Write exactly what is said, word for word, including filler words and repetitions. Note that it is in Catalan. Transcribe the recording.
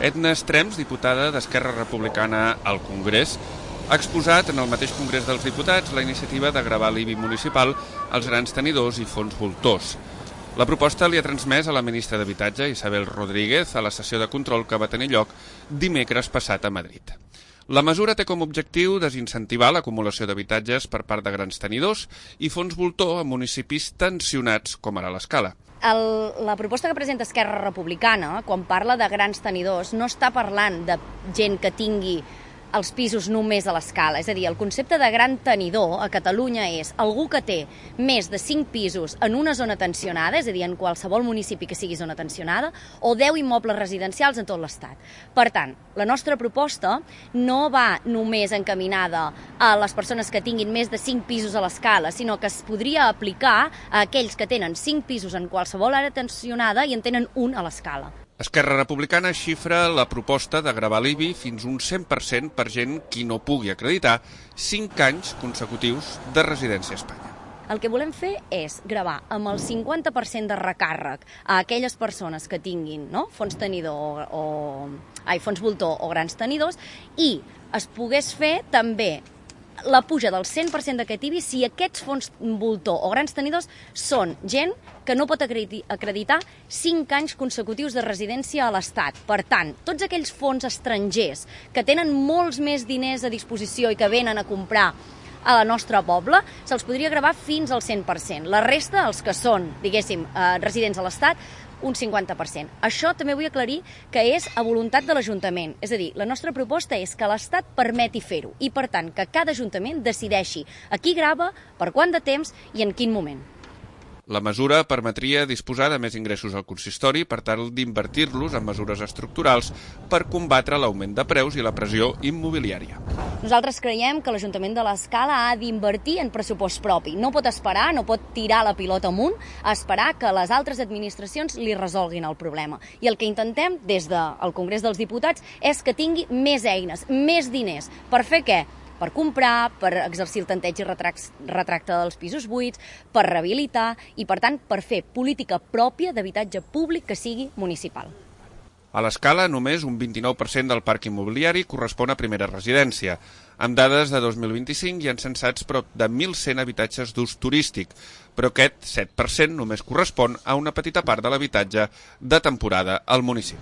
Edna Estrems, diputada d'Esquerra Republicana al Congrés, ha exposat en el mateix Congrés dels Diputats la iniciativa de gravar l'I B I municipal als grans tenidors i fons voltors. La proposta li ha transmès a la ministra d'Habitatge, Isabel Rodríguez, a la sessió de control que va tenir lloc dimecres passat a Madrid. La mesura té com a objectiu desincentivar l'acumulació d'habitatges per part de grans tenidors i fons voltor a municipis tensionats com ara l'Escala. El, la proposta que presenta Esquerra Republicana, quan parla de grans tenidors, no està parlant de gent que tingui els pisos només a l'Escala. És a dir, el concepte de gran tenidor a Catalunya és algú que té més de cinc pisos en una zona tensionada, és a dir, en qualsevol municipi que sigui zona tensionada, o deu immobles residencials en tot l'Estat. Per tant, la nostra proposta no va només encaminada a les persones que tinguin més de cinc pisos a l'Escala, sinó que es podria aplicar a aquells que tenen cinc pisos en qualsevol àrea tensionada i en tenen un a l'Escala. Esquerra Republicana xifra la proposta de gravar l'I B I fins un cent per cent per gent qui no pugui acreditar cinc anys consecutius de residència a Espanya. El que volem fer és gravar amb el cinquanta per cent de recàrrec a aquelles persones que tinguin, no?, fons tenidor o, o ai, fons voltor o grans tenidors, i es pogués fer també la puja del cent per cent d'aquest I B I si aquests fons voltor o grans tenidors són gent que no pot acreditar cinc anys consecutius de residència a l'Estat. Per tant, tots aquells fons estrangers que tenen molts més diners a disposició i que venen a comprar a la nostra poble, se'ls podria gravar fins al cent per cent. La resta, els que són, diguéssim, eh, residents a l'Estat, un cinquanta per cent. Això també vull aclarir que és a voluntat de l'Ajuntament. És a dir, la nostra proposta és que l'Estat permeti fer-ho i, per tant, que cada Ajuntament decideixi a qui grava, per quant de temps i en quin moment. La mesura permetria disposar de més ingressos al consistori per tal d'invertir-los en mesures estructurals per combatre l'augment de preus i la pressió immobiliària. Nosaltres creiem que l'Ajuntament de l'Escala ha d'invertir en pressupost propi. No pot esperar, no pot tirar la pilota amunt, a esperar que les altres administracions li resolguin el problema. I el que intentem des del Congrés dels Diputats és que tingui més eines, més diners. Per fer què? Per comprar, per exercir el tanteig i retracte dels pisos buits, per rehabilitar i, per tant, per fer política pròpia d'habitatge públic que sigui municipal. A l'Escala, només un vint-i-nou per cent del parc immobiliari correspon a primera residència. Amb dades de dos mil vint-i-cinc hi han censats prop de mil cent habitatges d'ús turístic, però aquest set per cent només correspon a una petita part de l'habitatge de temporada al municipi.